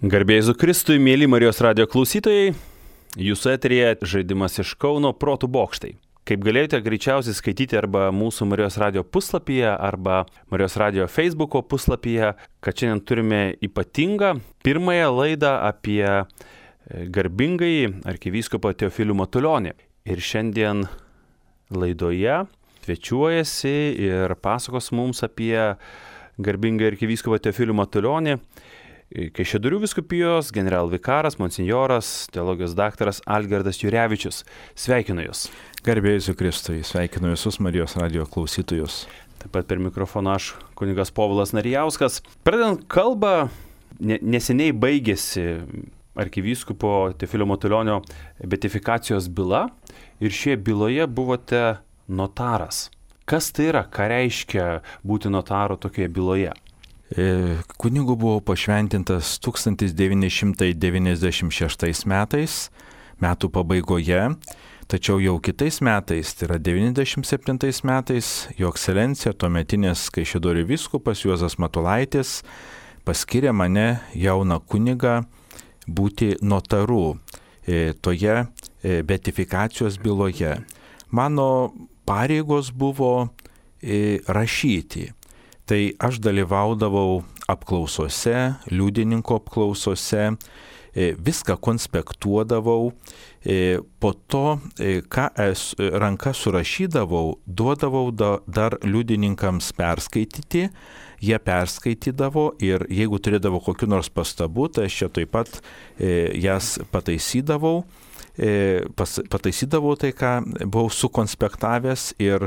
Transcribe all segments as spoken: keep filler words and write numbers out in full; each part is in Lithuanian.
Garbė Jėzui Kristui, mėly Marijos radijo klausytojai, jūsų eteryje žaidimas iš Kauno Protų bokštai. Kaip galėjote greičiausiai skaityti arba mūsų Marijos radijo puslapyje, arba Marijos radijo Facebooko puslapyje, kad šiandien turime ypatingą pirmąją laidą apie garbingąjį arkivyskupą Teofilių Matulionį. Ir šiandien laidoje svečiuojasi ir pasakos mums apie garbingą arkivyskupą Teofilių Matulionį Kaišiadorių vyskupijos generalvikaras, monsinjoras, teologijos daktaras Algirdas Jurevičius. Sveikinu Jūs. Garbė Jėzui Kristui, sveikinu visus Marijos radijo klausytojus. Taip pat per mikrofoną aš, kunigas Povilas Narijauskas. Pradedant kalbą, neseniai baigėsi arkivyskupo Teofilio Matulionio beatifikacijos byla ir šioje byloje buvote notaras. Kas tai yra, ką reiškia būti notaru tokioje byloje? Kunigu buvo pašventintas tūkstantis devyni šimtai devyniasdešimt šeštais metais, metų pabaigoje, tačiau jau kitais metais, tai yra devyniasdešimt septintais metais, jo ekscelencija, tuometinis Kaišiadorių vyskupas Juozas Matulaitis paskyrė mane jauną kunigą būti notaru toje beatifikacijos byloje. Mano pareigos buvo rašyti. Tai aš dalyvaudavau apklausose, liudininko apklausose, viską konspektuodavau, po to, ką ranka surašydavau, duodavau dar liudininkams perskaityti, jie perskaitydavo ir jeigu turėdavo kokių nors pastabų, tai aš čia taip pat jas pataisydavau. Pas, pataisydavau tai, ką buvau sukonspektavęs ir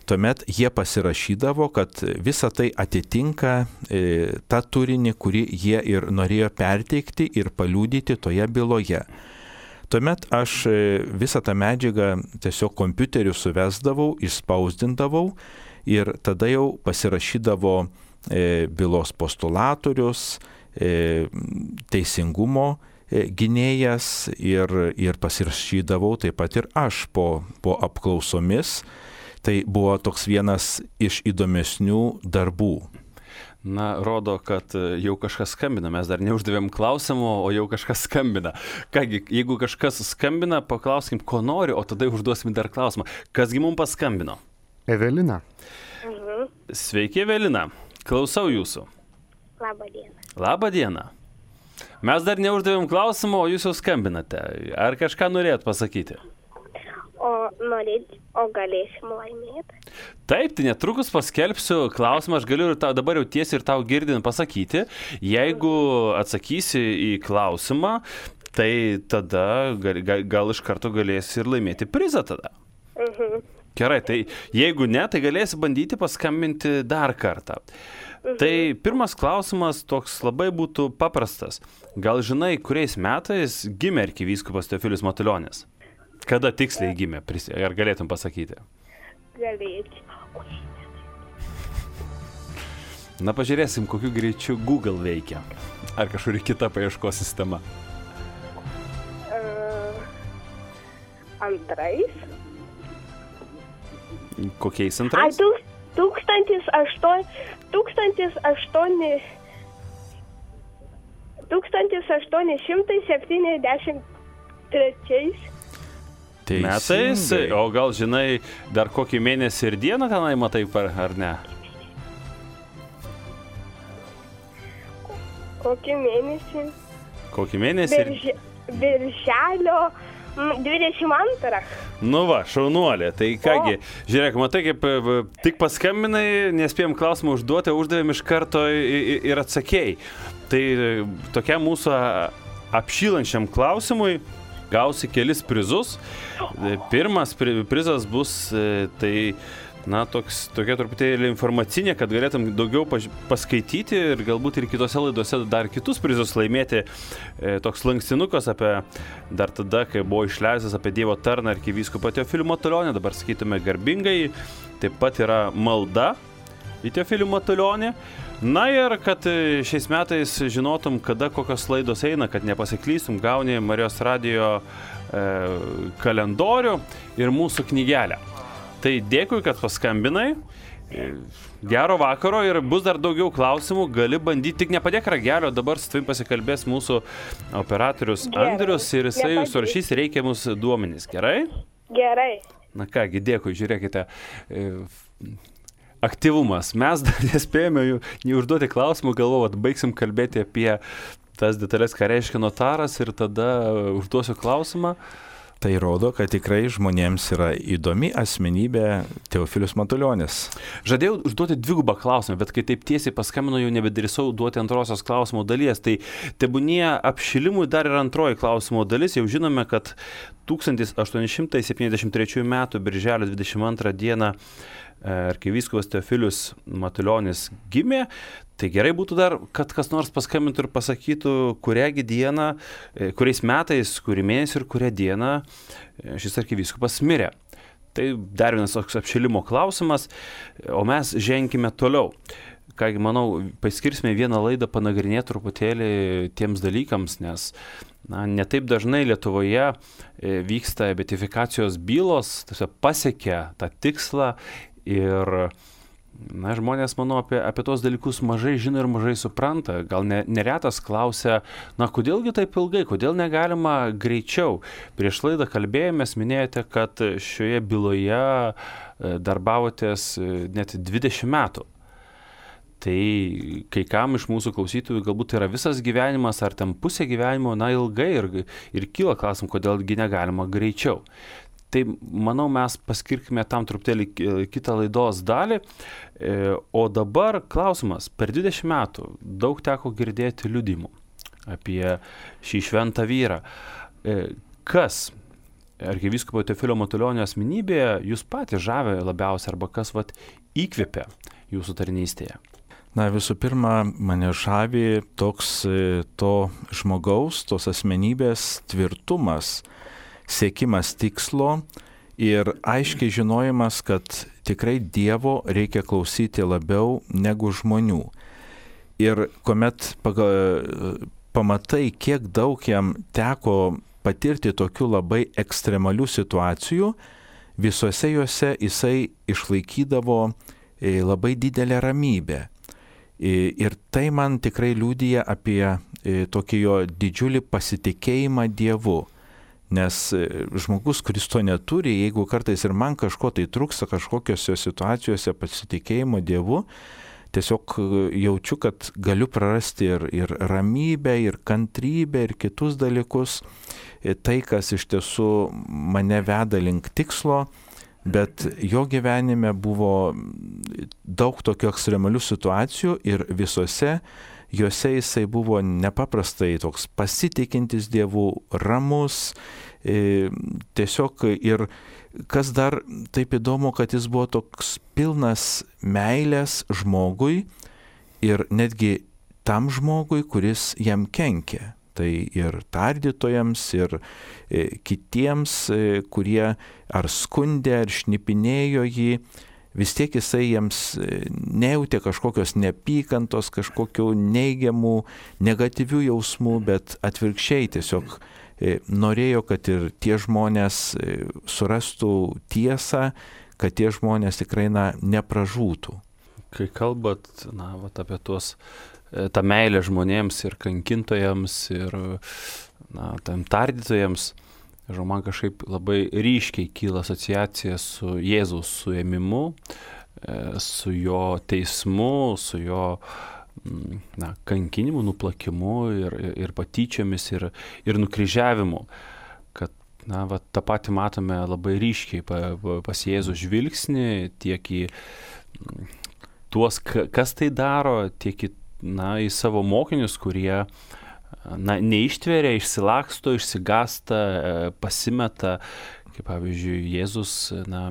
tuomet jie pasirašydavo, kad visa tai atitinka e, tą turinį, kurį jie ir norėjo perteikti ir paliudyti toje byloje. Tuomet aš e, visą tą medžiagą tiesiog kompiuteriu suvesdavau, išspausdindavau ir tada jau pasirašydavo e, bylos postulatorius, e, teisingumo gynėjas ir, ir pasirašydavau taip pat ir aš po, po apklausomis. Tai buvo toks vienas iš įdomesnių darbų. Na, rodo, kad jau kažkas skambina. Mes dar neuždavėm klausimo, o jau kažkas skambina. Kągi, jeigu kažkas skambina, paklauskim, ko nori, o tada užduosim dar klausimą. Kasgi mums paskambino? Evelina. Mhm. Sveiki, Evelina. Klausau jūsų. Labą dieną. Labą dieną. Mes dar neuždavėm klausimą, o jūs jau skambinate. Ar kažką norėt pasakyti? O norėt, o galėsim laimėti? Taip, tai netrukus paskelbsiu klausimą, aš galiu ir tau, dabar jau tiesiai ir tau girdint pasakyti. Jeigu atsakysi į klausimą, tai tada gal, gal, gal iš karto galėsi ir laimėti prizą tada. Mhm. Gerai, tai jeigu ne, tai galėsi bandyti paskambinti dar kartą. Tai pirmas klausimas toks labai būtų paprastas. Gal žinai, kuriais metais gimė arkivyskupas Teofilius Matulionis? Kada tiksliai gimė? Ar galėtum pasakyti? Galėčiau. Na, pažiūrėsim, kokiu greičiu Google veikia. Ar kažkuri kita paieškos sistema? Uh, antrais. Kokiais antrais? Ai, tūkstantis aštuoni... Tūkstantis aštuoni... Tūkstantis aštuoni šimtai septyniasdešimt trečiais metais. O gal žinai, dar kokį mėnesį ir dieną tenai matai, ar ne? Kokį mėnesį? Kokį mėnesį? Birže, birželio dvidešimt antrą. Nu va, šaunuolė. Tai kągi, žiūrėk, matai, kaip tik paskambinai, nespėjom klausimą užduoti, uždavėm iš karto ir atsakėjai. Tai tokia mūsų apšylančiam klausimui gausi kelis prizus. Pirmas prizas bus tai, na, toks, tokia truputėlį informacinė, kad galėtum daugiau paskaityti ir galbūt ir kitose laidose dar kitus prizus laimėti. E, toks lankstinukas apie, dar tada, kai buvo išleistas apie Dievo tarną arkivyskupą Teofilių Matulionį, dabar sakytume garbingai, taip pat yra malda į Teofilių Matulionį. Na ir kad šiais metais žinotum, kada kokios laidos eina, kad nepasiklystum, gauni Marijos radijo e, kalendorių ir mūsų knygelę. Tai dėkui, kad paskambinai Gero vakaro ir bus dar daugiau klausimų, gali bandyti, tik nepadėk ragelio, dabar su tavim pasikalbės mūsų operatorius Gerai. Andrius ir jisai Nepadėk. surašys reikiamus duomenys, gerai? Gerai. Na kągi, dėkui, žiūrėkite. E, aktyvumas. Mes dar nespėjome jų neužduoti klausimų, galvoju, kad baigsim kalbėti apie tas detalės, ką reiškia notaras ir tada užduosiu klausimą. Tai rodo, kad tikrai žmonėms yra įdomi asmenybė Teofilius Matulionis. Žadėjau užduoti dvigubą klausimą, bet kai taip tiesiai paskambino, jau nebedrįsau duoti antrosios klausimo dalies. Tai tebūnie apšilimui dar ir antroji klausimo dalis. Jau žinome, kad tūkstantis aštuoni šimtai septyniasdešimt trečiųjų metų birželio dvidešimt antrą dieną arkivyskupas Teofilius Matulionis gimė. Tai gerai būtų dar, kad kas nors paskambintų ir pasakytų, kuriągi dieną, kuriais metais, kurį mėnesį ir kurią dieną šis arkivyskupas mirė. Tai dar vienas toks apšilimo klausimas, o mes ženkime toliau. Kągi, manau, paskirsime vieną laidą panagrinėti truputėlį tiems dalykams, nes na, netaip dažnai Lietuvoje vyksta beatifikacijos bylos, tiesiog pasiekia tą tikslą ir na, žmonės, manau, apie, apie tos dalykus mažai žino ir mažai supranta. Gal ne, neretas klausia, na, kodėlgi taip ilgai, kodėl negalima greičiau. Prieš laidą kalbėjomės, minėjote, kad šioje byloje darbavotės net dvidešimt metų. Tai kai kam iš mūsų klausytojų galbūt tai yra visas gyvenimas, ar ten pusė gyvenimo, na, ilgai ir, ir kyla klausim, kodėlgi negalima greičiau. Tai, manau, mes paskirkime tam truputėlį kitą laidos dalį. O dabar klausimas. Per dvidešimt metų daug teko girdėti liudimų apie šį šventą vyrą. Kas arkivyskupo Teofilio Matulionio asmenybėje jūs patys žavė labiausiai arba kas vat įkvėpė jūsų tarnystėje? Na, visų pirma, mane žavi toks to žmogaus, tos asmenybės tvirtumas, siekimas tikslo ir aiškiai žinojimas, kad tikrai Dievo reikia klausyti labiau negu žmonių. Ir kuomet paga, pamatai, kiek daug jam teko patirti tokių labai ekstremalių situacijų, visuose juose jisai išlaikydavo labai didelę ramybę. Ir tai man tikrai liudija apie tokį jo didžiulį pasitikėjimą Dievu. Nes žmogus, kuris to neturi, jeigu kartais ir man kažko tai trūksta, kažkokiose situacijose pasitikėjimo Dievu, tiesiog jaučiu, kad galiu prarasti ir, ir ramybę, ir kantrybę, ir kitus dalykus. Tai, kas iš tiesų mane veda link tikslo, bet jo gyvenime buvo daug tokių ekstremalių situacijų ir visose juose jisai buvo nepaprastai toks pasitikintis Dievu, ramus, e, tiesiog ir kas dar taip įdomu, kad jis buvo toks pilnas meilės žmogui ir netgi tam žmogui, kuris jam kenkė. Tai ir tardytojams, ir e, kitiems, e, kurie ar skundė, ar šnipinėjo jį, vis tiek jisai jiems nejautė kažkokios neapykantos, kažkokių neigiamų, negatyvių jausmų, bet atvirkščiai tiesiog norėjo, kad ir tie žmonės surastų tiesą, kad tie žmonės tikrai na, nepražūtų. Kai kalbat na, vat, apie tuos, tą meilę žmonėms ir kankintojams ir na, tam tardytojams, man kažkaip labai ryškiai kyla asociacija su Jėzaus suėmimu, su jo teismu, su jo na, kankinimu, nuplakimu ir, ir patyčiomis ir, ir nukryžiavimu. Kad na, va, tą patį matome labai ryškiai pas Jėzų žvilgsnį, tiek į tuos, kas tai daro, tiek į, na, į savo mokinius, kurie na, neištveria, išsilaksto, išsigasta, pasimeta, kaip pavyzdžiui, Jėzus na,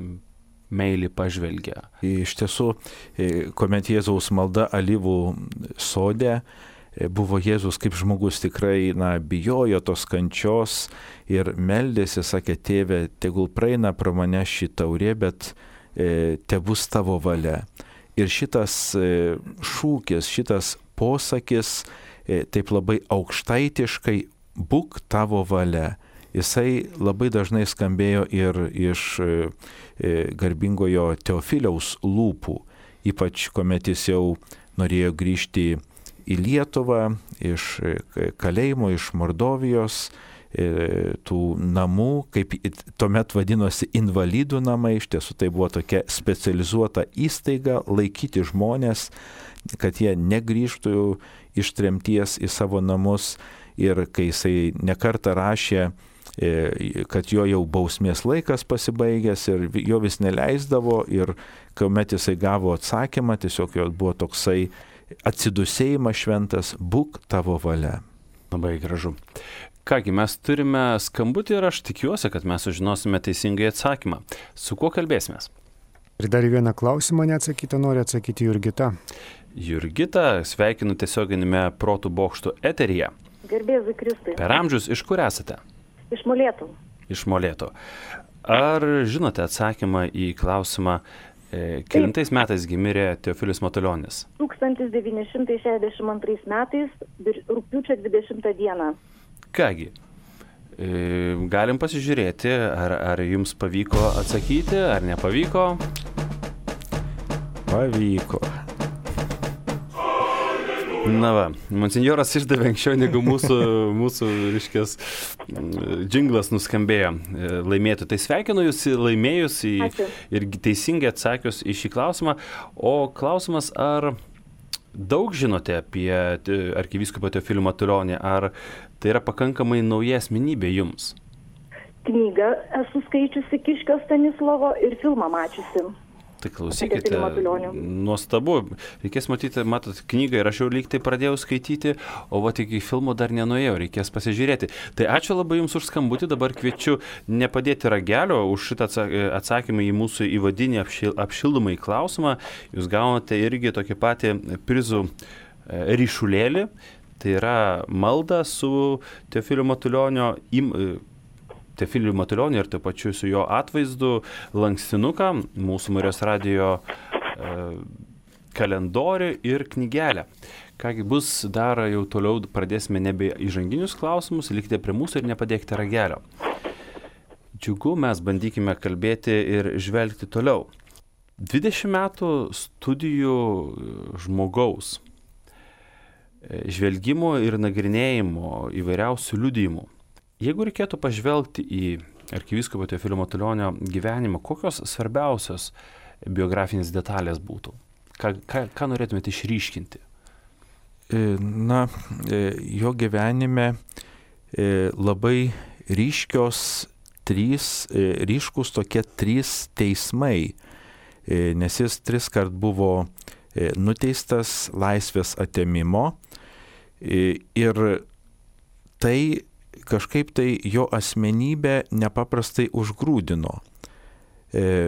meilį pažvelgia. Iš tiesų, kuomet Jėzaus malda alyvų sode, buvo Jėzus kaip žmogus tikrai na, bijojo tos kančios ir meldėsi, sakė, tėve, tegul praeina pro mane ši taurė, bet e, tebus tavo valia. Ir šitas e, šūkis, šitas posakis, taip labai aukštaitiškai, būk tavo valia. Jisai labai dažnai skambėjo ir iš e, garbingojo Teofiliaus lūpų. ypač kuomet jis jau norėjo grįžti į Lietuvą iš kalėjimo, iš Mordovijos, tų namų, kaip tuomet vadinosi invalidų namai, iš tiesų tai buvo tokia specializuota įstaiga laikyti žmonės, kad jie negrįžtų iš tremties į savo namus. Ir kai jisai nekartą rašė, kad jo jau bausmės laikas pasibaigęs ir jo vis neleisdavo, ir kuomet jisai gavo atsakymą, tiesiog jo buvo toksai atsidusėjimas šventas, būk tavo valia. Labai gražu. Kągi, mes turime skambutį ir aš tikiuosi, kad mes sužinosime teisingai atsakymą. Su kuo kalbėsimės? Ir dar vieną klausimą neatsakytą nori atsakyti Jurgita. Jurgita, sveikinu tiesioginėme Protų bokštų eteryje. Garbėzui Kristui. Per amžius iš kur esate? Iš Molėtų. Iš Molėtų. Ar žinote atsakymą į klausimą, e, kelintais metais gimė Teofilius Matulionis? tūkstantis devyni šimtai šešiasdešimt antrais metais, rugpjūčio dvidešimtą dieną. Kągi, e, galim pasižiūrėti, ar, ar jums pavyko atsakyti, ar nepavyko. Pavyko. Na va, monsinjoras išdavė anksčiau negu mūsų, mūsų reiškės, džinglas nuskambėjo laimėtų. Tai sveikinu jūs laimėjus į, ir teisingai atsakius į šį klausimą. O klausimas, ar daug žinote apie arkivyskupą Teofilių Matulionį, ar tai yra pakankamai nauja asmenybė jums? Knygą esu skaičiusi Kiškio Stanislovo ir filmą mačiusi. Tai klausykite, nuostabu. Reikės matyti, matot, knygą ir aš jau lyg tai pradėjau skaityti, o va tik į filmą dar nenuėjau, reikės pasižiūrėti. Tai ačiū labai jums už skambutį, dabar kviečiu nepadėti ragelio už šitą atsakymą į mūsų įvadinį apšil, apšildomą į klausimą. Jūs gaunate irgi tokį patį prizų ryšulėlį, tai yra malda su Teofiliu Matulionio im, Teofiliu Matulioniu ir taip pačiu su jo atvaizdu lankstinuką, mūsų Marijos radijo e, kalendorių ir knygelę. Kągi bus dar jau toliau, pradėsime nebe įžanginius klausimus, likite prie mūsų ir nepadėkite ragelio. Džiugu, mes bandykime kalbėti ir žvelgti toliau. dvidešimt metų studijų žmogaus, žvelgimo ir nagrinėjimo įvairiausių liudijimų. Jeigu reikėtų pažvelgti į arkivyskupą Teofilių Matulionio gyvenimą, kokios svarbiausios biografinės detalės būtų? Ką, ką, ką norėtumėte išryškinti? Na, jo gyvenime labai ryškios trys, ryškus tokie trys teismai, nes jis tris kart buvo nuteistas laisvės atėmimo ir tai kažkaip tai jo asmenybę nepaprastai užgrūdino.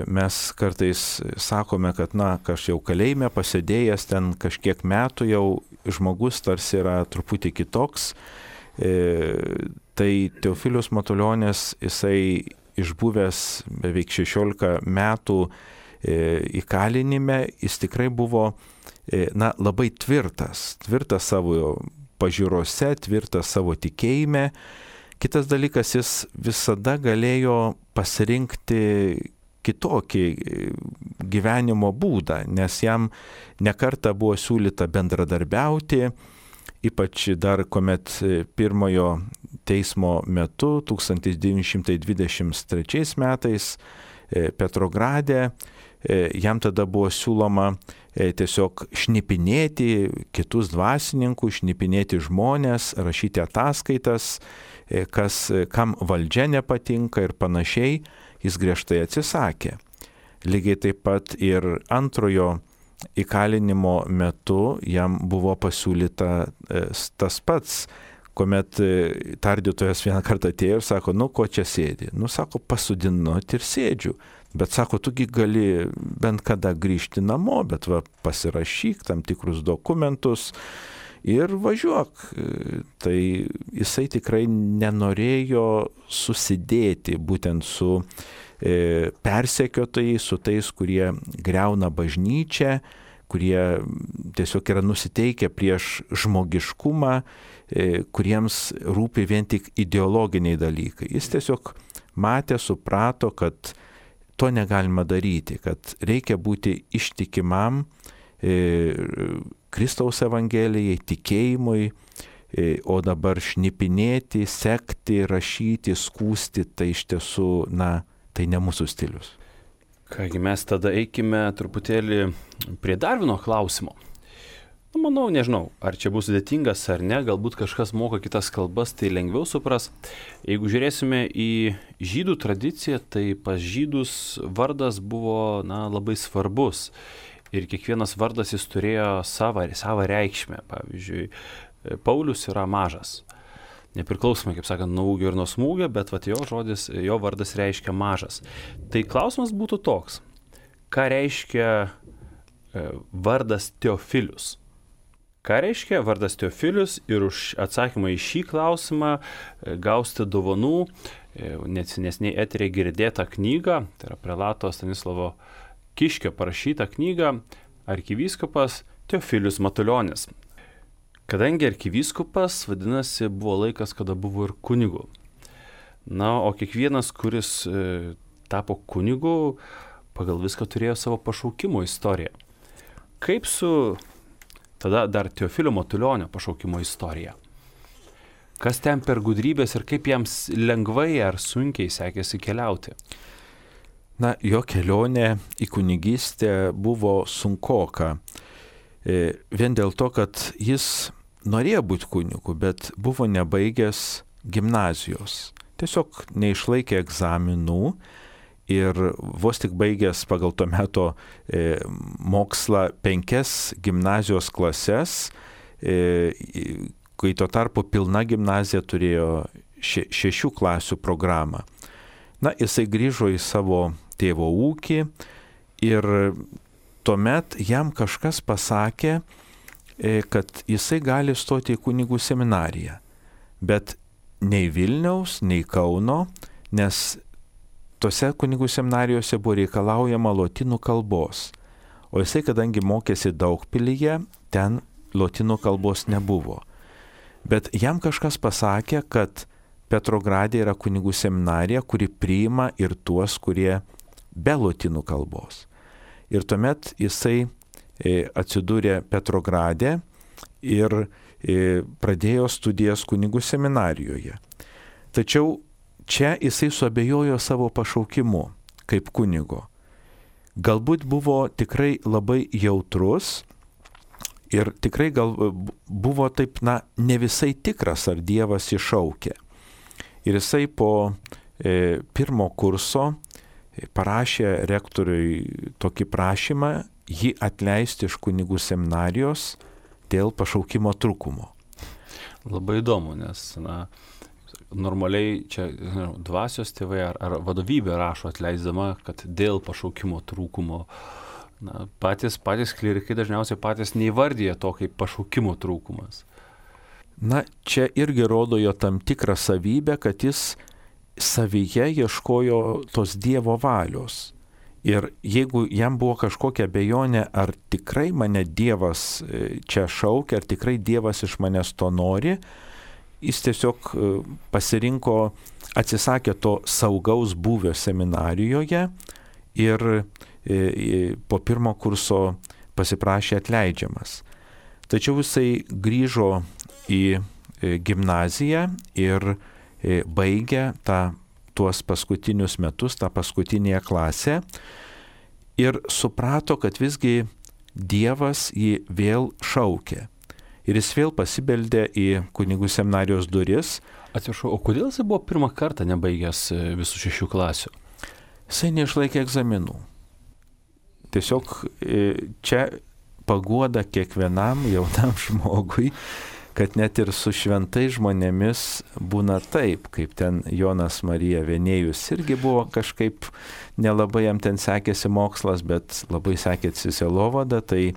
Mes kartais sakome, kad na, aš jau kalėjime pasėdėjęs ten kažkiek metų, jau žmogus tarsi yra truputį kitoks. Tai Teofilius Matulionis, jisai išbuvęs beveik šešiolika metų įkalinime, jis tikrai buvo na, labai tvirtas, tvirtas savo pažiūrose, tvirtas savo tikėjime. Kitas dalykas, jis visada galėjo pasirinkti kitokį gyvenimo būdą, nes jam nekartą buvo siūlyta bendradarbiauti, ypač dar kuomet pirmojo teismo metu, tūkstantis devyni šimtai dvidešimt trečiais metais Petrograde, jam tada buvo siūloma tiesiog šnipinėti kitus dvasininkus, šnipinėti žmonės, rašyti ataskaitas, kas, kam valdžia nepatinka ir panašiai, jis griežtai atsisakė. Lygiai taip pat ir antrojo įkalinimo metu jam buvo pasiūlyta tas pats, kuomet tardytojas vieną kartą atėjo ir sako, nu ko čia sėdi? Nu sako, pasodinot ir sėdžiu. Bet sako, tugi gali bent kada grįžti namo, bet va, pasirašyk tam tikrus dokumentus ir važiuok. Tai jisai tikrai nenorėjo susidėti būtent su e, persekiotojais, su tais, kurie griauna bažnyčią, kurie tiesiog yra nusiteikę prieš žmogiškumą, e, kuriems rūpi vien tik ideologiniai dalykai. Jis tiesiog matė, suprato, kad to negalima daryti, kad reikia būti ištikimam e, Kristaus Evangelijai, tikėjimui, e, o dabar šnipinėti, sekti, rašyti, skūsti, tai iš tiesų, na, tai ne mūsų stilius. Kągi, mes tada eikime truputėlį prie dar vieno klausimo. Nu, manau, nežinau, ar čia bus sudėtingas ar ne, galbūt kažkas moka kitas kalbas, tai lengviau supras. Jeigu žiūrėsime į žydų tradiciją, tai pas žydus vardas buvo, na, labai svarbus. Ir kiekvienas vardas jis turėjo savo, savo reikšmę. Pavyzdžiui, Paulius yra mažas. Nepriklausomai, kaip sakant, nuo ūgio ir nuo smūgio, bet vat, jo žodis, jo vardas reiškia mažas. Tai klausimas būtų toks, ką reiškia e, vardas Teofilius? Ką reiškia vardas Teofilius? Ir už atsakymą į šį klausimą e, gausite dovanų, e, nesiniai eterė girdėtą knygą, tai yra prelato Stanislovo Kiškio parašytą knygą Arkivyskupas Teofilius Matulionis. Kadangi arkivyskupas, vadinasi, buvo laikas, kada buvo ir kunigu. Na, o kiekvienas, kuris e, tapo kunigu, pagal viską turėjo savo pašaukimo istoriją. Kaip su tada dar Teofilio Matulionio pašaukimo istorija? Kas ten per gudrybės ir kaip jiems lengvai ar sunkiai sekėsi keliauti? Na, jo kelionė į kunigystę buvo sunkoka. E, vien dėl to, kad jis norėjo būti kunigu, bet buvo nebaigęs gimnazijos. Tiesiog neišlaikė egzaminų ir vos tik baigęs pagal to meto e, mokslą penkias gimnazijos klases, e, kai tuo tarpu pilna gimnazija turėjo še, šešių klasių programą. Na, jisai grįžo į savo tėvo ūkį ir tuomet jam kažkas pasakė, kad jisai gali stoti į kunigų seminariją, bet nei Vilniaus, nei Kauno, nes tose kunigų seminarijose buvo reikalaujama lotynų kalbos, o jisai, kadangi mokėsi Daugpilyje, ten lotynų kalbos nebuvo. Bet jam kažkas pasakė, kad Petrograde yra kunigų seminarija, kuri priima ir tuos, kurie be lotynų kalbos. Ir tuomet jisai atsidūrė Petrograde ir pradėjo studijas kunigų seminarijoje. Tačiau čia jisai suabejojo savo pašaukimu kaip kunigo. Galbūt buvo tikrai labai jautrus ir tikrai gal buvo taip, na, ne visai tikras, ar Dievas iššaukė. Ir jisai po e, pirmo kurso parašė rektoriui tokį prašymą jį atleisti iš kunigų seminarijos dėl pašaukimo trūkumo. Labai įdomu, nes na, normaliai čia ne, dvasios tėvai ar, ar vadovybė rašo atleisdama, kad dėl pašaukimo trūkumo. Na, patys, patys klerikai dažniausiai patys neįvardyja to kaip pašaukimo trūkumas. Na, čia irgi rodo jo tam tikrą savybę, kad jis savyje ieškojo tos Dievo valios. Ir jeigu jam buvo kažkokia abejonė, ar tikrai mane Dievas čia šaukia, ar tikrai Dievas iš manęs to nori, jis tiesiog pasirinko, atsisakė to saugaus buvio seminarijoje ir po pirmo kurso pasiprašė atleidžiamas. Tačiau jisai grįžo į gimnaziją ir baigė tą tuos paskutinius metus, tą paskutinėje klasę ir suprato, kad visgi Dievas jį vėl šaukė. Ir jis vėl pasibeldė į kunigų seminarijos duris. Atsiprašau, o kodėl jis buvo pirmą kartą nebaigęs visų šešių klasių? Jisai neišlaikė egzaminų. Tiesiog čia paguoda kiekvienam jaunam žmogui, kad net ir su šventai žmonėmis būna taip, kaip ten Jonas Marija Venėjus irgi buvo kažkaip nelabai jam ten sekėsi mokslas, bet labai sekėsi sielovada, tai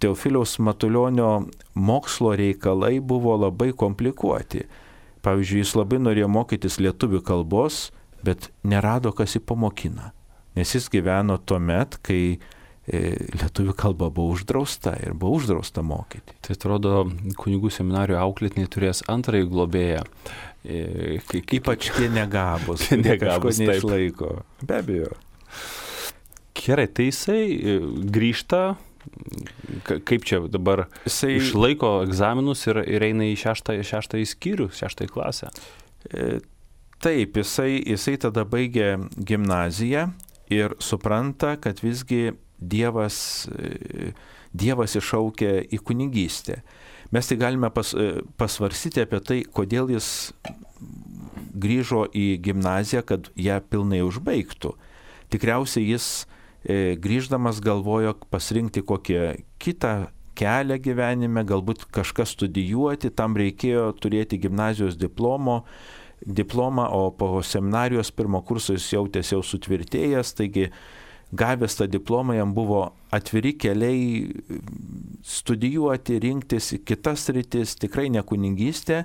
Teofiliaus Matulionio mokslo reikalai buvo labai komplikuoti. Pavyzdžiui, jis labai norėjo mokytis lietuvių kalbos, bet nerado, kas jį pamokina, nes jis gyveno tuo met, kai lietuvių kalba buvo uždrausta ir buvo uždrausta mokyti. Tai atrodo, kunigų seminarijų auklėtiniai turės antrąjį globėją. E, Ypač tie negabus, tie negabus neišlaiko. Be abejo. Gerai, tai jisai grįžta, kaip čia dabar, jisai išlaiko egzaminus ir, ir eina į šeštąjį, šeštąjį skyrių, šeštąjį klasę. Taip, jisai, jisai tada baigia gimnaziją ir supranta, kad visgi Dievas, Dievas iššaukia į kunigystę. Mes tai galime pas, pasvarsyti apie tai, kodėl jis grįžo į gimnaziją, kad ją pilnai užbaigtų. Tikriausiai jis e, grįždamas galvojo pasirinkti kokią kitą kelią gyvenime, galbūt kažką studijuoti, tam reikėjo turėti gimnazijos diplomo, diplomą, o po seminarijos pirmo kurso jis jautėsi jau sutvirtėjęs, taigi gavęs tą diplomą jam buvo atviri keliai studijuoti, rinktis kitas rytis, tikrai ne kunigystė,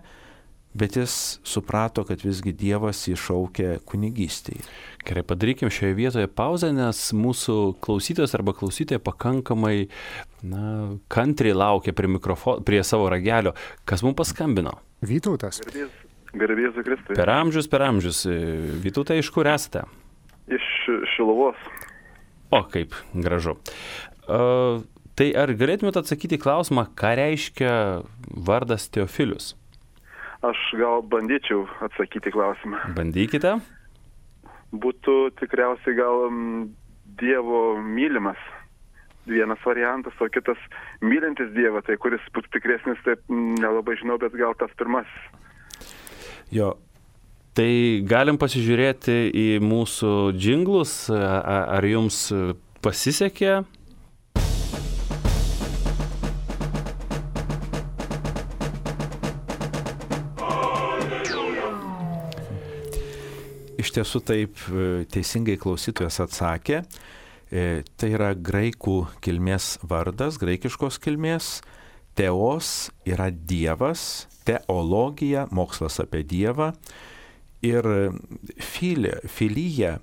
bet jis suprato, kad visgi Dievas jį šaukia kunigystėje. Gerai, padarykim šioje vietoje pauzę, nes mūsų klausytojas arba klausytoja pakankamai na, kantriai laukia prie, mikrofo, prie savo ragelio. Kas mums paskambino? Vytautas. Garbės Jėzui Kristui. Per amžius, per amžius. Vytautai, iš kur esate? Iš Šiluvos. O, kaip gražu. Uh, tai ar galėtumėte atsakyti klausimą, ką reiškia vardas Teofilius? Aš gal bandyčiau atsakyti klausimą. Bandykite. Būtų tikriausiai gal m, Dievo mylimas vienas variantas, o kitas mylintis Dievą, tai kuris būtų tikresnis, taip nelabai žinau, bet gal tas pirmasis. Jo. Tai galim pasižiūrėti į mūsų džinglus, ar jums pasisekė? Iš tiesų taip teisingai klausytojas atsakė. Tai yra graikų kilmės vardas, graikiškos kilmės. Teos yra Dievas, teologija, mokslas apie Dievą. Ir filė, filyja,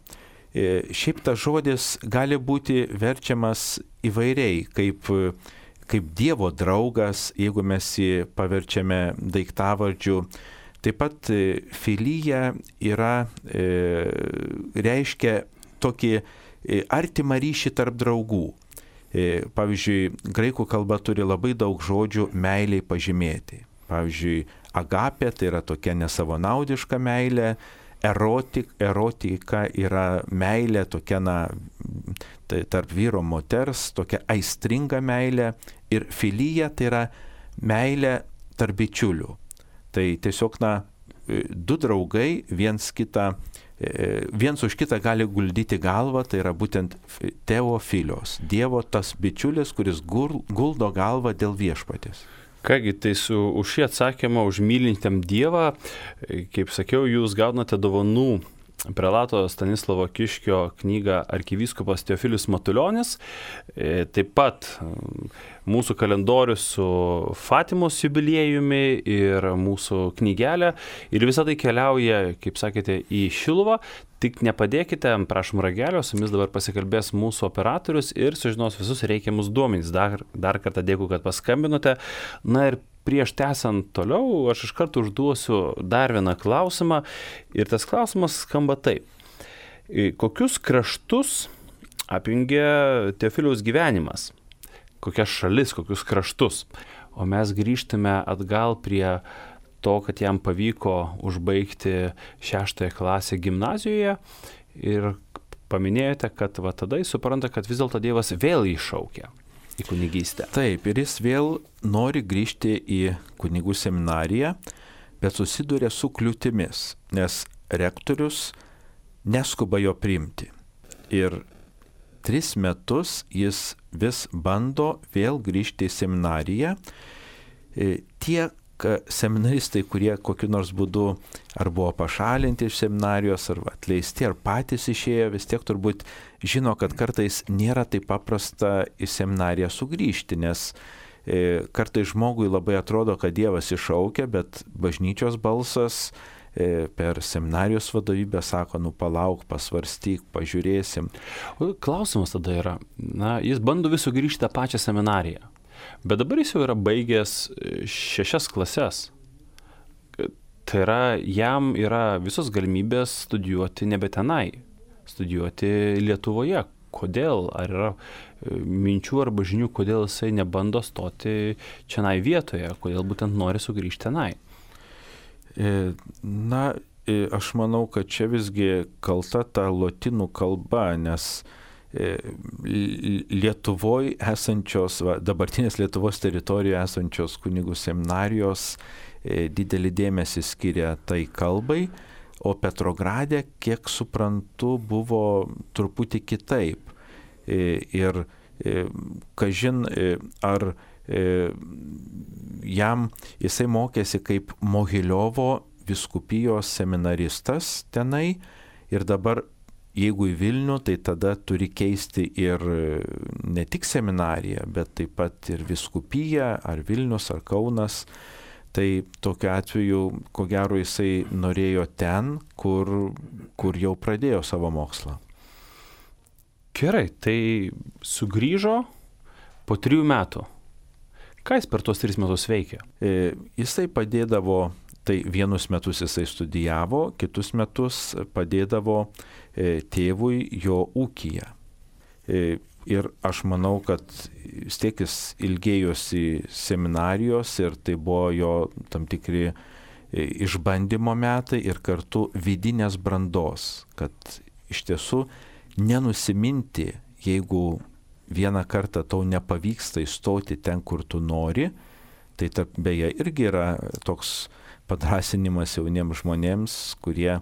šiaip tas žodis gali būti verčiamas įvairiai, kaip, kaip Dievo draugas, jeigu mes jį paverčiame daiktavardžiu. Taip pat filyja yra, e, reiškia tokį artimą ryšį tarp draugų. E, pavyzdžiui, graikų kalba turi labai daug žodžių meiliai pažymėti. Pavyzdžiui, agapė tai yra tokia nesavanaudiška meilė, erotik, erotika yra meilė tokia, na, tai tarp vyro moters, tokia aistringa meilė, ir filyja tai yra meilė tarp bičiulių. Tai tiesiog, na, du draugai viens kitą, viens už kitą gali guldyti galvą, tai yra būtent teofilios, Dievo tas bičiulis, kuris guldo galvą dėl viešpatės. Kągi, tai su, už šį atsakymą, už mylintiem Dievą, kaip sakiau, jūs gaunate dovanų prelato Stanislovo Kiškio knygą Arkivyskupas Teofilius Matulionis, taip pat mūsų kalendorius su Fatimos jubiliejumi ir mūsų knygelė. Ir visą tai keliauja, kaip sakėte, į Šiluvą. Tik nepadėkite, prašom ragelio, su jumis dabar pasikalbės mūsų operatorius ir sužinos visus reikiamus duomenys. Dar, dar kartą dėkui, kad paskambinote. Na ir prieš tęsant toliau, aš iš karto užduosiu dar vieną klausimą. Ir tas klausimas skamba taip. Kokius kraštus apjungia Teofiliaus gyvenimas? Kokias šalis, kokius kraštus? O mes grįžtame atgal prie to, kad jam pavyko užbaigti šeštąją klasę gimnazijoje ir paminėjote, kad va tada jis supranta, kad vis dėlto Dievas vėl jį šaukia į kunigystę. Taip, ir jis vėl nori grįžti į kunigų seminariją, bet susiduria su kliūtimis, nes rektorius neskuba jo priimti. Ir tris metus jis vis bando vėl grįžti į seminariją. Tie seminaristai, kurie kokiu nors būdu ar buvo pašalinti iš seminarijos, ar atleisti, ar patys išėjo, vis tiek turbūt žino, kad kartais nėra taip paprasta į seminariją sugrįžti, nes e, kartais žmogui labai atrodo, kad Dievas iššaukia, bet bažnyčios balsas e, per seminarijos vadovybę sako, nu palauk, pasvarstyk, pažiūrėsim. O klausimas tada yra, na, jis bando vis sugrįžti tą pačią seminariją. Bet dabar jis jau yra baigęs šešias klases. Tai yra, jam yra visos galimybės studijuoti nebe tenai. studijuoti Lietuvoje. Kodėl? Ar yra minčių arba žinių, kodėl jisai nebando stoti čionai vietoje, kodėl būtent nori sugrįžti tenai? Na, aš manau, kad čia visgi kalta ta lotynų kalba, nes Lietuvoje esančios, va, dabartinės Lietuvos teritorijoje esančios kunigų seminarijos didelį dėmesį skiria tai kalbai, o Petrograde, kiek suprantu, buvo truputį kitaip. Ir kažin, ar jam jisai mokėsi kaip Mogiliovo vyskupijos seminaristas tenai ir dabar, jeigu į Vilnių, tai tada turi keisti ir ne tik seminariją, bet taip pat ir vyskupiją, ar Vilnius, ar Kaunas. Tai tokiu atveju, ko gero, jisai norėjo ten, kur, kur jau pradėjo savo mokslą. Gerai, tai sugrįžo po trijų metų. Ką jis per tos tris metus veikė? E, jisai padėdavo, tai vienus metus jisai studijavo, kitus metus padėdavo e, tėvui jo ūkyje. E, ir aš manau, kad vis tiek jis ilgėjosi seminarijos ir tai buvo jo tam tikri e, išbandymo metai ir kartu vidinės brandos, kad iš tiesų nenusiminti, jeigu vieną kartą tau nepavyksta įstoti ten, kur tu nori, tai tarp, beje irgi yra toks padrasinimas jauniems žmonėms, kurie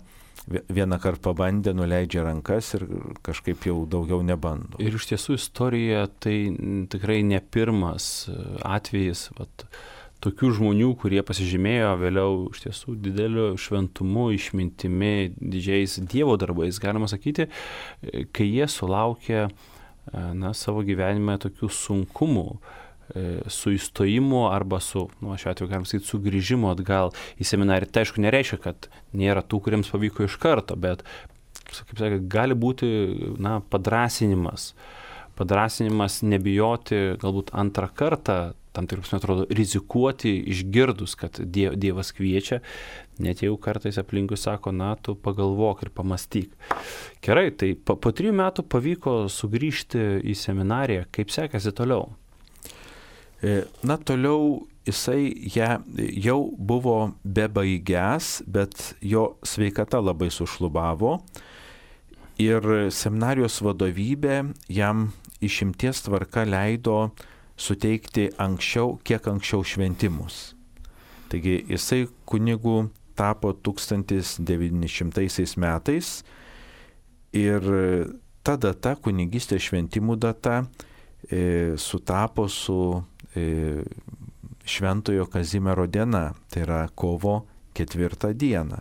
vieną kartą pabandė, nuleidžia rankas ir kažkaip jau daugiau nebando. Ir iš tiesų istorija tai tikrai ne pirmas atvejis, vat, tokių žmonių, kurie pasižymėjo vėliau iš tiesų dideliu šventumu, išmintimi, didžiais Dievo darbais, galima sakyti, kai jie sulaukė na, savo gyvenime tokių sunkumų su įstojimu arba su, nu, šiuo atveju galim sakyti, sugrįžimu atgal į seminariją. Tai aišku nereiškia, kad nėra tų, kuriems pavyko iš karto, bet, kaip sakė, gali būti na, padrasinimas. Padrasinimas nebijoti galbūt antrą kartą, tam tikrus, man atrodo, rizikuoti išgirdus, kad Dievas kviečia, net jeigu kartais aplinkui sako, na, tu pagalvok ir pamastyk. Gerai, tai po, po trijų metų pavyko sugrįžti į seminariją. Kaip sekasi toliau? Na, toliau jisai ją jau buvo bebaigęs, bet jo sveikata labai sušlubavo ir seminarijos vadovybė jam išimties tvarka leido suteikti anksčiau, kiek anksčiau šventimus. Taigi jisai kunigu tapo tūkstantis devyni šimtai metais ir ta data, kunigystės šventimų data, e, sutapo su e, Šventojo Kazimiero diena, tai yra kovo ketvirtą dieną.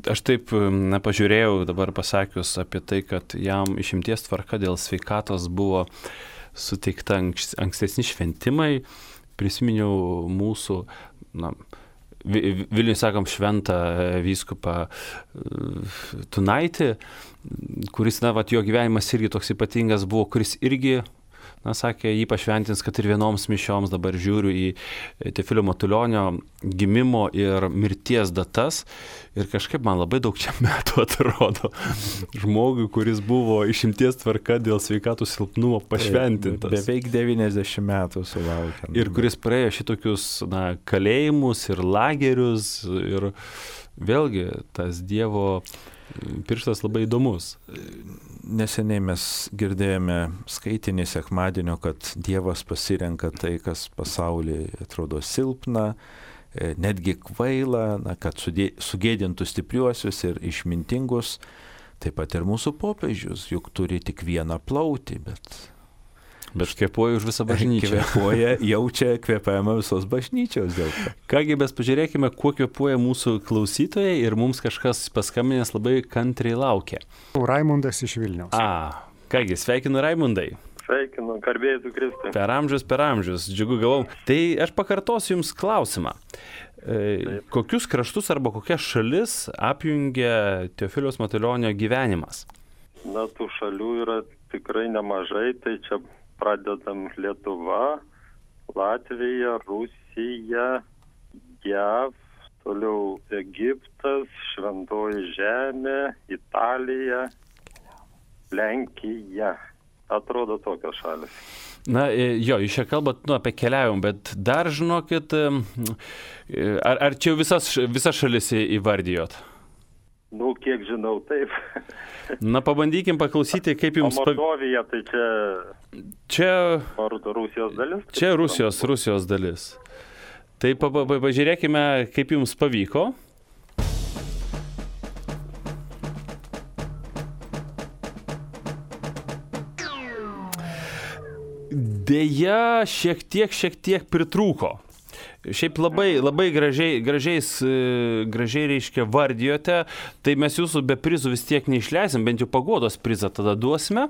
Aš taip, na, pažiūrėjau dabar pasakius apie tai, kad jam išimties tvarka dėl sveikatos buvo suteikta ankstesni šventimai, prisiminiau mūsų, na, Vilniuje sakom šventą vyskupą Tunaitį, kuris, na, vat, jo gyvenimas irgi toks ypatingas buvo, kuris irgi, na, sakė, jį pašventins, kad ir vienoms mišioms dabar žiūriu į Teofilio Matulionio gimimo ir mirties datas ir kažkaip man labai daug čia metų atrodo žmogui, kuris buvo išimties tvarka dėl sveikatos silpnumo pašventintas. Beveik devyniasdešimt metų sulaukė. Ir kuris praėjo šitokius, na, kalėjimus ir lagerius ir vėlgi tas Dievo pirštas labai įdomus. Neseniai mes girdėjome skaitinį sekmadienio, kad Dievas pasirenka tai, kas pasaulyje atrodo silpna, netgi kvaila, na, kad sugėdintų stipriuosius ir išmintingus. Taip pat ir mūsų popiežius, juk turi tik vieną plautį, bet... Bet kvėpuoja už visą bažnyčią. Kvėpuoja, jaučia kvėpavimą visos bažnyčios dėl to. Kągi, mes pažiūrėkime, kuo kvėpuoja mūsų klausytojai ir mums kažkas paskambinęs labai kantriai laukia. Raimundas iš Vilniaus. A, kągi, sveikinu Raimundai. Sveikinu, garbėjai tu Kristui. Per amžius, per amžius, džiugu gavau. Tai aš pakartosiu Jums klausimą. E, kokius kraštus arba kokias šalis apjungia Teofiliaus Matulionio gyvenimas? Na, tų šalių yra tikrai nemažai, tai čia pradedam Lietuva, Latvija, Rusija, J A V, toliau Egiptas, Šventoji Žemė, Italija, Lenkija. Atrodo tokios šalis. Na, jo, jūs čia kalbat nu, apie keliavimą, bet dar žinokit, ar, ar čia visas, visas šalis įvardijot? Nu, kiek žinau, taip. Na, pabandykim paklausyti, kaip jums... O Mordovija, tai čia... Čia... Rusijos dalis? Čia Rusijos, Rusijos dalis. Tai pa, pa, pažiūrėkime, kaip jums pavyko. Deja, šiek tiek, šiek tiek pritrūko. Šiaip labai, labai gražiai, gražiais, gražiai reiškia vardijote, tai mes jūsų be prizų vis tiek neišleisim, bent jau paguodos prizą tada duosime.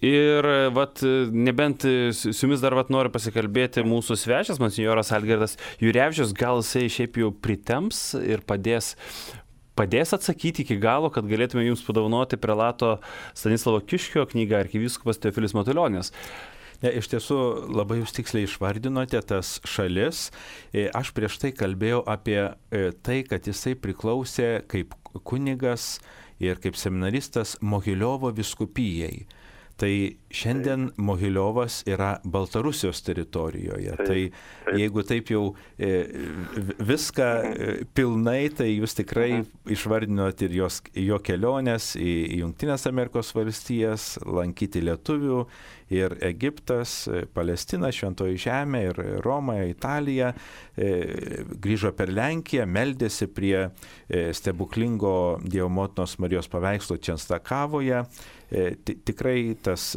Ir vat, nebent su jumis dar vat, noriu pasikalbėti mūsų svečias, monsinjoras Algirdas Jurevičius, gal jisai šiaip jau pritemps ir padės, padės atsakyti iki galo, kad galėtume jums padovanoti prelato Stanislovo Kiškio knygą Arkivyskupas Teofilis Matulionis. Ne, iš tiesų labai jūs tiksliai išvardinote tas šalis. Aš prieš tai kalbėjau apie tai, kad jisai priklausė kaip kunigas ir kaip seminaristas Mogiliovo vyskupijai. Tai šiandien Mogiliovas yra Baltarusijos teritorijoje. Taip, taip. Tai jeigu taip jau e, viską e, pilnai, tai jūs tikrai išvardinot ir jos, jo keliones į Jungtinės Amerikos valstijas, lankyti lietuvių, ir Egiptas, Palestina, Šventoji Žemė, ir Roma, Italija, e, grįžo per Lenkiją, meldėsi prie e, stebuklingo Dievo motinos Marijos paveikslo Čenstakavoje. E, tikrai tas,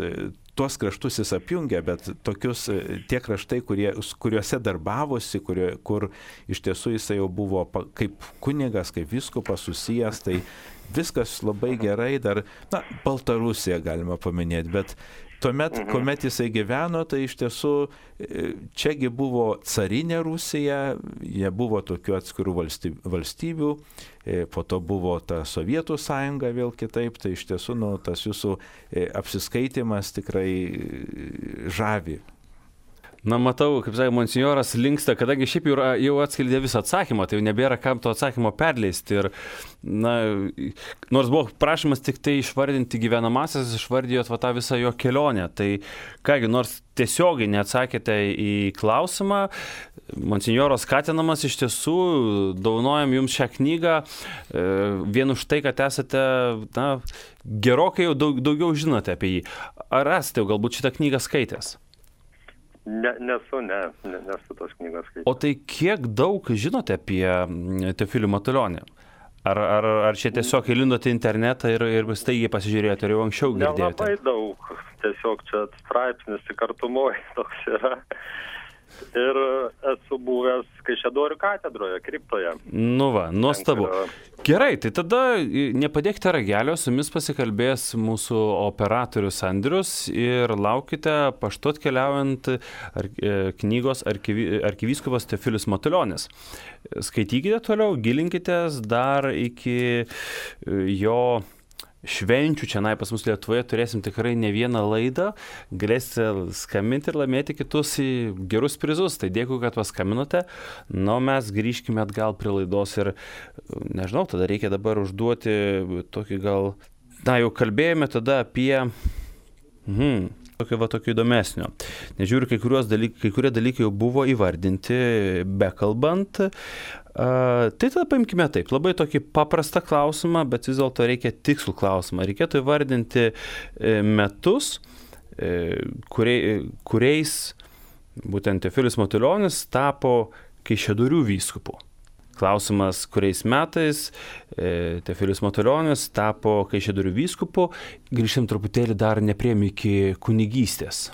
tuos kraštus jis apjungia, bet tokius tie kraštai, kurie, kuriuose darbavosi, kurio, kur iš tiesų jisai jau buvo kaip kunigas, kaip vyskupas susijęs, tai viskas labai gerai, dar, na, Baltarusiją galima paminėti, bet tuomet, kuomet jisai gyveno, tai iš tiesų čiagi buvo carinė Rusija, nebuvo tokių atskirų valstybių, valstybių, po to buvo ta Sovietų sąjunga vėl kitaip, tai iš tiesų nu, tas jūsų apsiskaitimas tikrai žavi. Na, matau, kaip sakė, monsinjoras linksta, kadangi šiaip jau, jau atskleidė visą atsakymą, tai jau nebėra kam to atsakymo perleisti. Ir, na, nors buvo prašymas tik tai išvardinti gyvenamasias, išvardijot va tą visą jo kelionę. Tai kągi, nors tiesiogiai neatsakėte į klausimą, monsinjoras skatinamas iš tiesų, dovanojam jums šią knygą, vien už tai, kad esate, na, gerokai jau daug, daugiau žinote apie jį. Ar esate jau galbūt šitą knygą skaitęs? Ne, nesu, ne, ne, nesu tos knygos skaitęs. O tai kiek daug žinote apie Teofilį Matulionį? Ar, ar, ar čia tiesiog įlindote internetą ir, ir staigiai pasižiūrėjote, ar jau anksčiau girdėjote? Nelabai daug, tiesiog čia straipsnis tik artumoje toks yra. Ir esu buvęs Kaišiadorių katedroje, kriptoje. Nu va, nuostabu. Gerai, tai tada nepadėkite ragelio, su jumis pasikalbės mūsų operatorius Andrius ir laukite paštu atkeliaujant ar, knygos arkivi, Arkivyskupas Teofilis Matulionis. Skaitykite toliau, gilinkitės dar iki jo švenčių čia pas mus Lietuvoje, turėsim tikrai ne vieną laidą, galėsite skambinti ir laimėti kitus į gerus prizus. Tai dėkui, kad paskambinote. Na, mes grįžkime atgal prie laidos ir, nežinau, tada reikia dabar užduoti tokį gal, na, jau kalbėjome tada apie, mhm, tokio va tokio įdomesnio. Nežiūriu, kai, dalyk, kai kurie dalykai jau buvo įvardinti, bekalbant. Uh, tai tada paimkime taip, labai tokį paprastą klausimą, bet vis dėlto reikia tikslų klausimą. Reikėtų įvardinti metus, kuriais būtent Teofilis Matulionis tapo Kaišiadorių vyskupu. Klausimas, kuriais metais Teofilis Matulionis tapo Kaišiadorių vyskupu. Grįžtam truputėlį dar nepriejom iki kunigystės.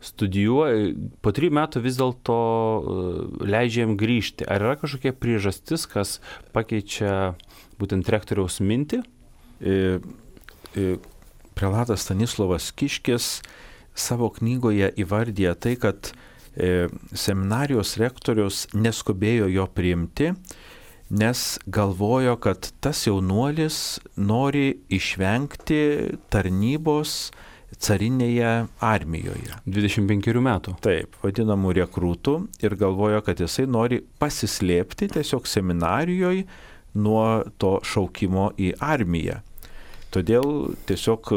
Studijuoja, po trijų metų vis dėlto leidžiam grįžti. Ar yra kažkokia priežastis, kas pakeičia būtent rektoriaus mintį? E, e, prelatas Stanislovas Kiškis savo knygoje įvardyja tai, kad e, seminarijos rektorius neskubėjo jo priimti, nes galvojo, kad tas jaunuolis nori išvengti tarnybos carinėje armijoje. dvidešimt penkerių metų. Taip, vadinamų rekrūtų ir galvojo, kad jisai nori pasislėpti tiesiog seminarijoje nuo to šaukimo į armiją. Todėl tiesiog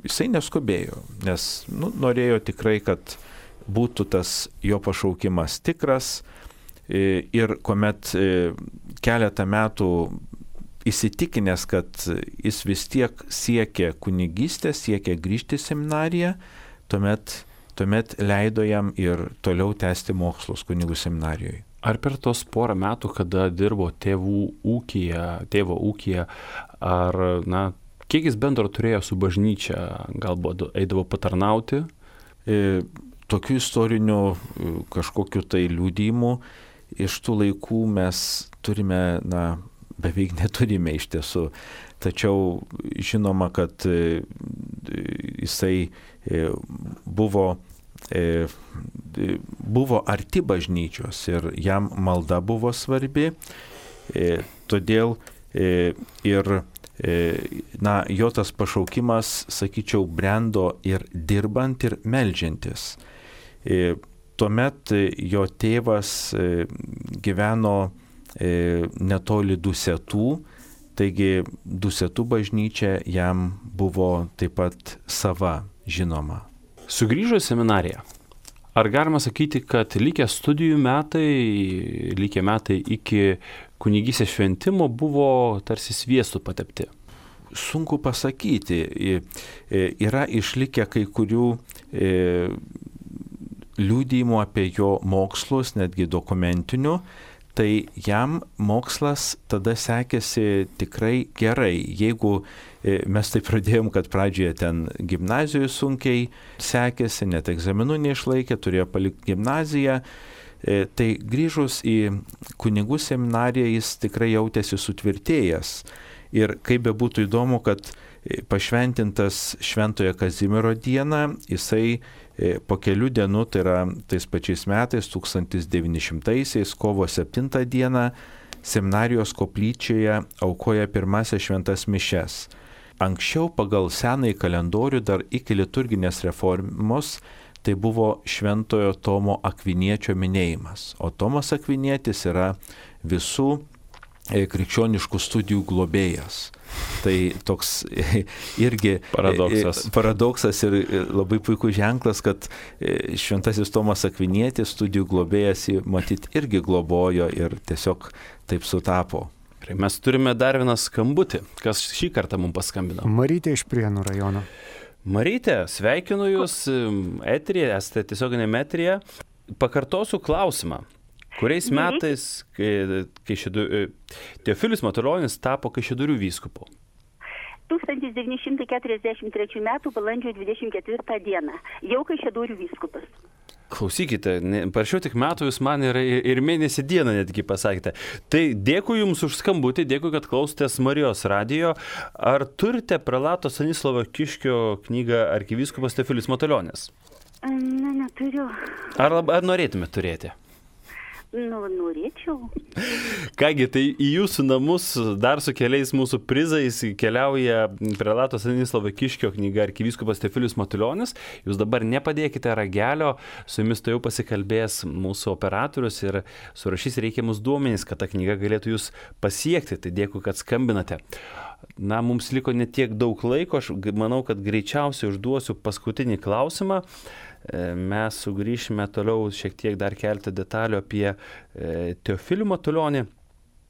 jisai neskubėjo, nes nu, norėjo tikrai, kad būtų tas jo pašaukimas tikras ir kuomet keletą metų įsitikinęs, kad jis vis tiek siekia kunigystės, siekia grįžti į seminariją, tuomet, tuomet leido jam ir toliau tęsti mokslus kunigų seminarijoje. Ar per tos porą metų, kada dirbo tėvų ūkyje, tėvo ūkyje, ar, na, kiek jis bendro turėjo su bažnyčia, galbūt eidavo patarnauti? E, tokių istorinių kažkokių tai liudijimų iš tų laikų mes turime, na, beveik neturime iš tiesų. Tačiau žinoma, kad jisai buvo, buvo arti bažnyčios ir jam malda buvo svarbi. Todėl ir na, jo tas pašaukimas, sakyčiau, brendo ir dirbant, ir meldžiantis. Tuomet jo tėvas gyveno netoli Dusetų, taigi Dusetų bažnyčia jam buvo taip pat sava, žinoma. Sugrįžo į seminariją. Ar galima sakyti, kad likę studijų metai, likę metai iki kunigystės šventimo buvo tarsi sviestu patepti? Sunku pasakyti. Yra išlikę kai kurių liudijimų apie jo mokslus, netgi dokumentinių. Tai jam mokslas tada sekėsi tikrai gerai. Jeigu mes tai pradėjom, kad pradžioje ten gimnazijoje sunkiai sekėsi, net egzaminų neišlaikė, turėjo palikti gimnaziją, tai grįžus į kunigų seminariją jis tikrai jautėsi sutvirtėjęs. Ir kaip be būtų įdomu, kad pašventintas Šventojo Kazimiero dieną, jisai po kelių dienų, tai yra tais pačiais metais, tūkstantis devyni šimtaisiais, kovo septintą dieną, seminarijos koplyčioje aukoja pirmasias šventas mišias. Anksčiau pagal senąjį kalendorių dar iki liturginės reformos tai buvo Šventojo Tomo Akviniečio minėjimas. O Tomas Akvinietis yra visų krikščioniškų studijų globėjas. Tai toks irgi paradoksas. paradoksas ir labai puikus ženklas, kad šventasis Tomas Akvinietis, studijų globėjas, matyt, irgi globojo ir tiesiog taip sutapo. Mes turime dar vieną skambutį. Kas šį kartą mums paskambino? Marytė iš Prienų rajono. Marytė, sveikinu Jūs eteryje, esate tiesioginėme eteryje. Pakartosiu klausimą. Kuriais metais, kai Kaišiadorių, Teofilis Matulionis tapo Kaišiadorių vyskupu? tūkstantis devyni šimtai keturiasdešimt trečių metų balandžio dvidešimt ketvirtą dieną. Jau Kaišiadorių vyskupas. Klausykite, ne, parašiau tik metų, Jūs man ir, ir mėnesį dieną netgi pasakėte. Tai dėkui Jums už skambutį, dėkui, kad klausotės Marijos radijo. Ar turite prelato Stanislovo Kiškio knygą Arkivyskupas Teofilis Matulionis? Na, neturiu. Ar, ar norėtume turėti? Nu, norėčiau. Kągi, tai į Jūsų namus dar su keliais mūsų prizais keliauja prelato Stanislovo Kiškio knyga Arkivyskupas Teofilis Matulionis. Jūs dabar nepadėkite ragelio, su Jumis tai jau pasikalbės mūsų operatorius ir surašys reikiamus duomenys, kad ta knyga galėtų Jūs pasiekti. Tai dėkui, kad skambinate. Na, mums liko netiek daug laiko, aš manau, kad greičiausiai užduosiu paskutinį klausimą. Mes sugrįšime toliau šiek tiek dar keltą detalių apie Teofilį Matulionį.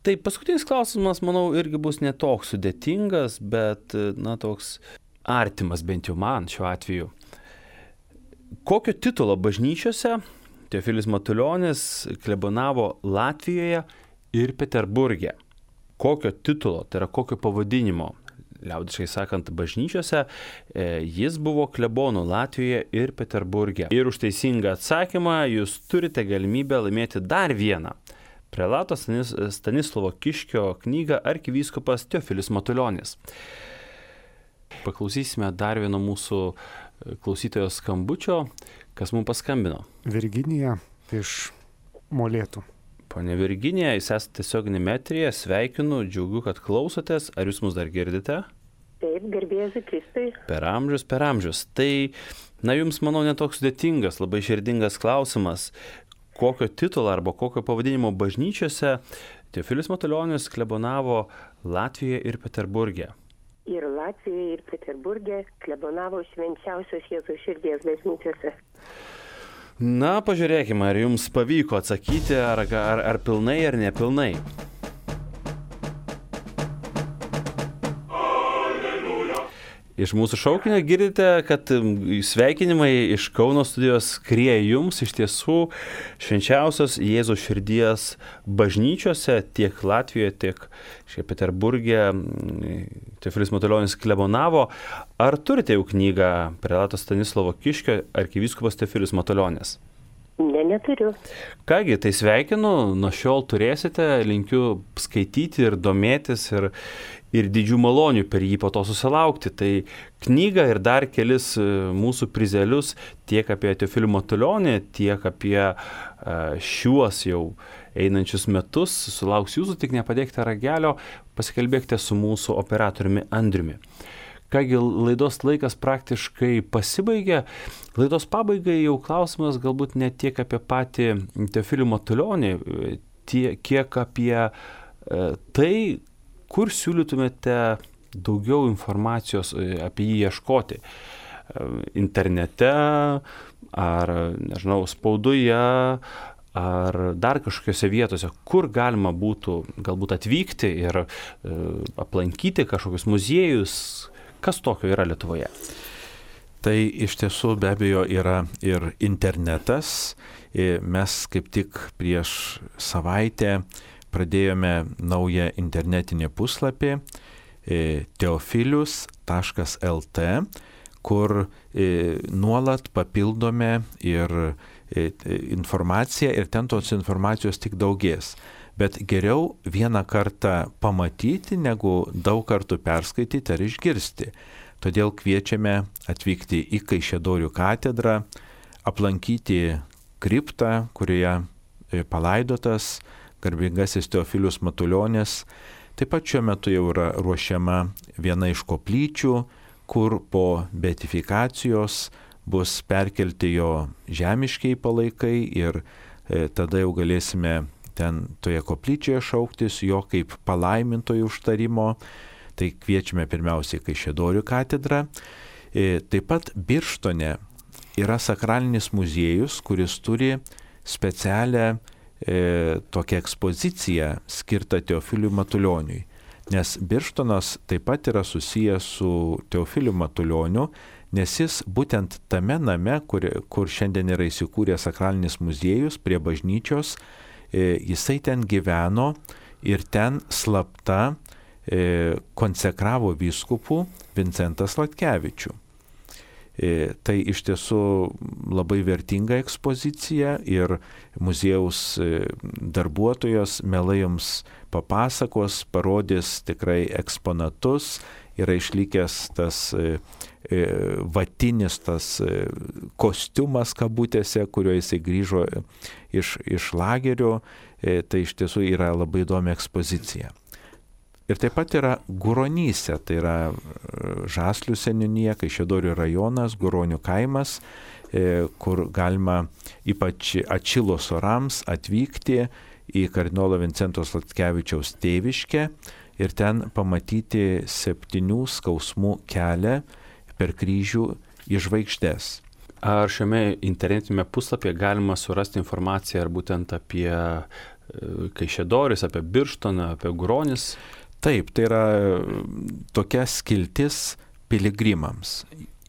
Tai paskutinis klausimas, manau, irgi bus netoks sudėtingas, bet, na, toks artimas bent jau man šiuo atveju. Kokio titulo bažnyčiose Teofilis Matulionis klebonavo Latvijoje ir Peterburge? Kokio titulo, tai yra kokio pavadinimo? Liaudiškai sakant, bažnyčiose, jis buvo klebonu Latvijoje ir Peterburge. Ir už teisingą atsakymą Jūs turite galimybę laimėti dar vieną prelato Stanislovo Kiškio knygą Arkivyskupas Teofilis Matulionis. Paklausysime dar vieno mūsų klausytojo skambučio, kas mums paskambino. Virginija iš Molėtų. Pone Virginija, Jūs esate tiesioginėme eteryje, sveikinu, džiaugiu, kad klausotės. Ar Jūs mus dar girdite? Taip, garbėsiu Kristui. Per amžius, per amžius. Tai, na, jums, manau, netoks sudėtingas, labai širdingas klausimas. Kokio titulo arba kokio pavadinimo bažnyčiose Teofilius Matulionis klebonavo Latvijoje ir Peterburge? Ir Latvijoje, ir Peterburge klebonavo Švenčiausios Jėzaus širdies bažnyčiose. Na, pažiūrėkime, ar jums pavyko atsakyti, ar, ar, ar pilnai, ar nepilnai. Iš mūsų šaukinio girdite, kad sveikinimai iš Kauno studijos skrieja jums iš tiesų Švenčiausios Jėzaus širdies bažnyčiose tiek Latvijoje, tiek Peterburge Teofilius Matulionis klebonavo. Ar turite jau knygą prelato Stanislovo Kiškio arkivyskupas Teofilius Matulionis? Ne, neturiu. Kągi, tai sveikinu, nuo šiol turėsite, linkiu skaityti ir domėtis ir, ir didžių malonių per jį po to susilaukti. Tai knygą ir dar kelis mūsų prizelius tiek apie Teofilių Matulionį, tiek apie šiuos jau einančius metus sulauks jūsų, tik nepadėkite ragelio, pasikalbėkite su mūsų operatoriumi Andriumi. Kągi, laidos laikas praktiškai pasibaigė. Laidos pabaigai jau klausimas galbūt ne tiek apie patį Teofilių Matulionį, tie, kiek apie e, tai, kur siūlytumėte daugiau informacijos apie jį ieškoti. Internete, ar, nežinau, spaudoje, ar dar kažkokiose vietose, kur galima būtų galbūt atvykti ir e, aplankyti kažkokius muziejus. Kas tokio yra Lietuvoje? Tai iš tiesų be abejo yra ir internetas. Mes kaip tik prieš savaitę pradėjome naują internetinį puslapį teofilius taškas el t, kur nuolat papildome ir informaciją ir ten tos informacijos tik daugės. Bet geriau vieną kartą pamatyti, negu daug kartų perskaityti ar išgirsti. Todėl kviečiame atvykti į Kaišiadorių katedrą, aplankyti kriptą, kurioje palaidotas garbingasis Teofilius Matulionis. Taip pat šiuo metu jau yra ruošiama viena iš koplyčių, kur po beatifikacijos bus perkelti jo žemiškiai palaikai ir e, tada jau galėsime ten toje koplyčioje šauktis jo kaip palaimintojų užtarimo. Tai kviečiame pirmiausiai Kaišiadorių katedrą. E, taip pat Birštone yra sakralinis muziejus, kuris turi specialią e, tokią ekspoziciją skirtą Teofiliui Matulioniui. Nes Birštonas taip pat yra susijęs su Teofiliu Matulioniu, nes jis būtent tame name, kur, kur šiandien yra įsikūręs sakralinis muziejus prie bažnyčios, jisai ten gyveno ir ten slapta e, konsekravo vyskupų Vincentą Sladkevičių. E, tai iš tiesų labai vertinga ekspozicija ir muziejaus e, darbuotojos mielai jums papasakos, parodys tikrai eksponatus, yra išlikęs tas e, e, vatinis tas e, kostiumas kabutėse, kuriuo jisai grįžo iš, iš lagerio, e, tai iš tiesų yra labai įdomi ekspozicija. Ir taip pat yra Guronyse, tai yra Žaslių seniūnija, Kaišiadorių rajonas, Guronių kaimas, e, kur galima ypač atšilus orams atvykti į kardinolo Vincento Sladkevičiaus tėviškę ir ten pamatyti septynių skausmų kelią per kryžių į žvaigždes. Ar šiame internetinėme puslapyje galima surasti informaciją ar būtent apie Kaišiadoris, apie Birštoną, apie Guronis? Taip, tai yra tokia skiltis piligrimams.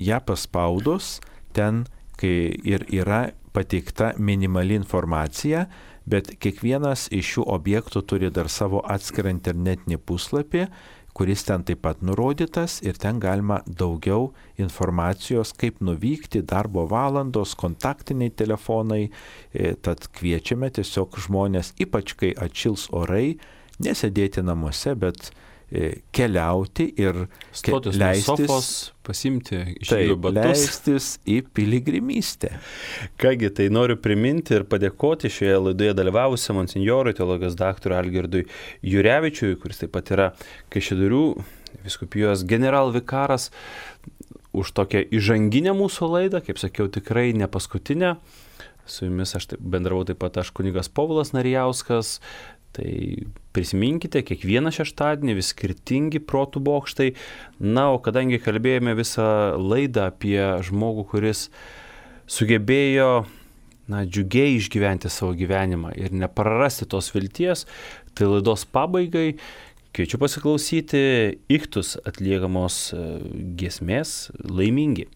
Ja paspaudus, ten kai ir yra pateikta minimali informacija, bet kiekvienas iš šių objektų turi dar savo atskirą internetinį puslapį, kuris ten taip pat nurodytas ir ten galima daugiau informacijos, kaip nuvykti, darbo valandos, kontaktiniai telefonai. Tad kviečiame tiesiog žmonės, ypač kai atšils orai, nesėdėti namuose, bet keliauti ir stotis leistis, nuo sofos, pasimti taip, žydų batus. leistis į piligrimystę. Kągi, tai noriu priminti ir padėkoti šioje laidoje dalyvavusiam monsinjorui, teologijos daktarui Algirdui Jurevičiui, kuris taip pat yra Kaišiadorių vyskupijos generalvikaras, už tokią įžanginę mūsų laidą, kaip sakiau, tikrai ne paskutinę. Su jumis aš taip bendravau taip pat aš kunigas Povilas Narijauskas. Tai prisiminkite, kiekvieną šeštadienį vis skirtingi protų bokštai. Na, o kadangi kalbėjome visą laidą apie žmogų, kuris sugebėjo na, džiugiai išgyventi savo gyvenimą ir neprarasti tos vilties, tai laidos pabaigai kviečiu pasiklausyti Iktus atliekamos giesmės Laimingi.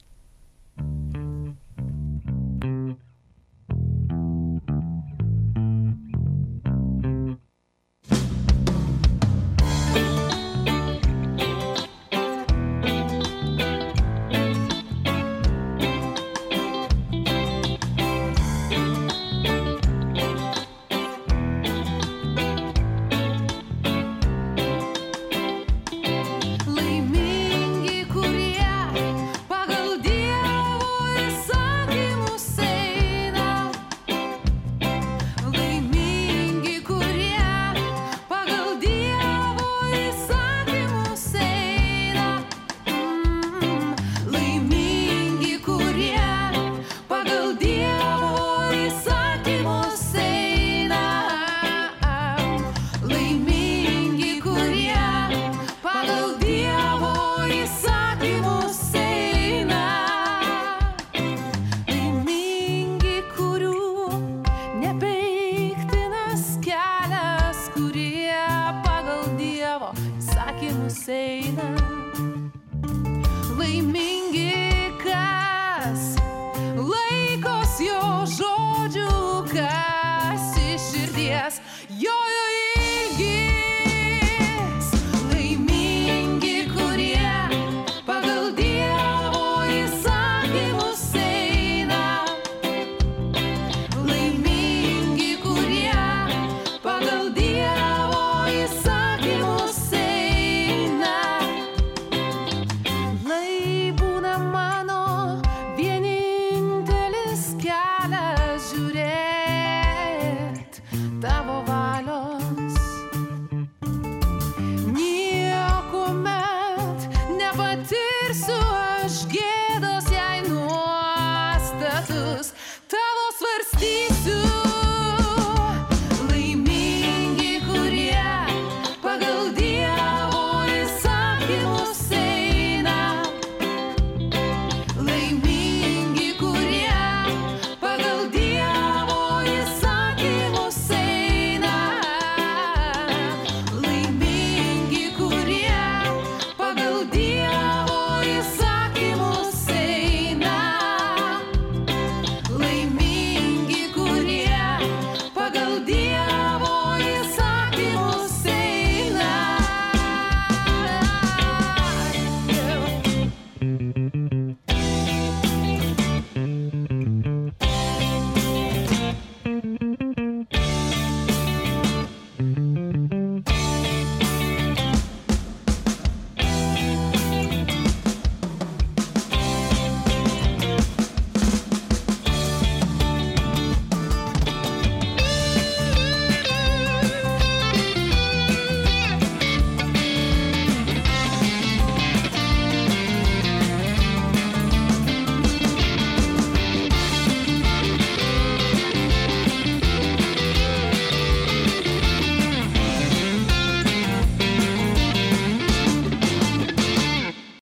Laimingi